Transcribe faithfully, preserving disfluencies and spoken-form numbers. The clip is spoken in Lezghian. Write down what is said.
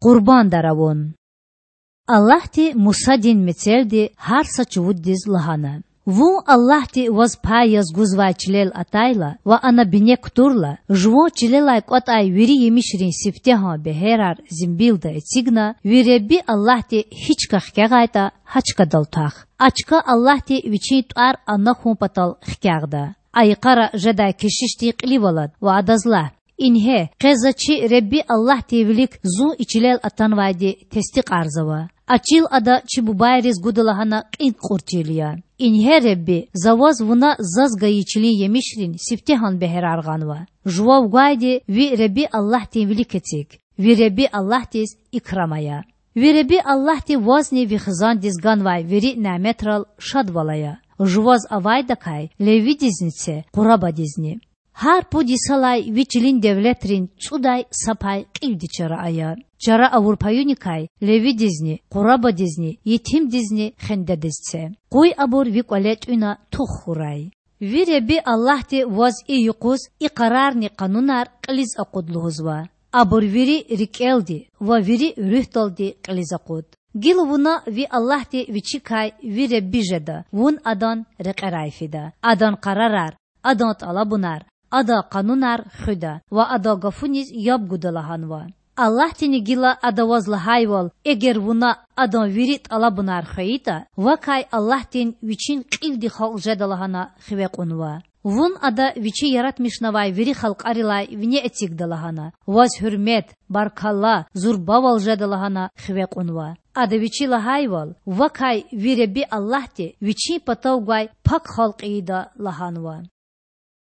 Къурбандар авун. Аллагьди Мусадин мецелди гьар са чувуддиз лагьана: Вун Аллагьди ваз пай яз гузвай чилел атайла ва ана бине кутурла, жуван чилелай кӀватӀай вири емишрин сифтегьан бегьерар зимбилда эцигна, ви Худа Аллагьди гьи чка хкягъайтӀа, гьа чкадал твах. А чка Аллагьди Вичин тӀвар ана хьун патал хкягъда. А йикъара жедай кешишдин кьилив алад ва адаз лагь: Ингье, къе за чи Худа Аллагьдин вилик зун и чилел атанвайди тестикьарзава. А чил ада чи бубайриз гуда лагьана кьин кьуртӀил я. Ингье, Худа, за ваз вуна заз гайи чилин емишрин сифтегьан бегьерар гъанва. Жував гвайди ви Худа Аллагьдин вилик эциг. Ви Худа Аллагьдиз икрам ая. Ви Худа Аллагьди вазни ви хизандиз ганвай вири няметрал шадвал ая. Жуваз авайдакай левидизни це, къурабадизни. Гьар пуд йисалай ви чилин девлетрин цӀудай са пай кьилди чара ая. Чара авур паюникай левидизни, къурабадизни, етимдизни хендедиз це. Къуй абур ви кӀвале тӀуьна тух хьурай. Ви Худа Аллагьди ваз и юкъуз и къарарни къанунар кьилиз акъуд лугьузва. Абур вири рикӀелди ва вири руьгьдалди кьилиз акъуд. Гила вуна ви Аллагьди Вичикай ви Худа жеда, вун Адан рекьерай фида, Адан къарарар, Адан тӀалабунар, Адан къанунар хуьда ва Адан гафуниз яб гуда лагьанва. Аллагьдини гила Ада ваз лагьайвал, эгер вуна Адан вири тӀалабунар хвейитӀа, вакай Аллагьдин Вичин кьилди халкь жеда лагьана хиве кьунва. Вун Ада Вичи яратмишнавай вири халкьарилай вине эцигда лагьана, ваз гьуьрмет, баркалла, зурбавал жеда лагьана хиве кьунва. Ада Вичи лагьайвал, вакай ви Худа Аллагьди Вичин патав гвай пак халкь ийида лагьанва.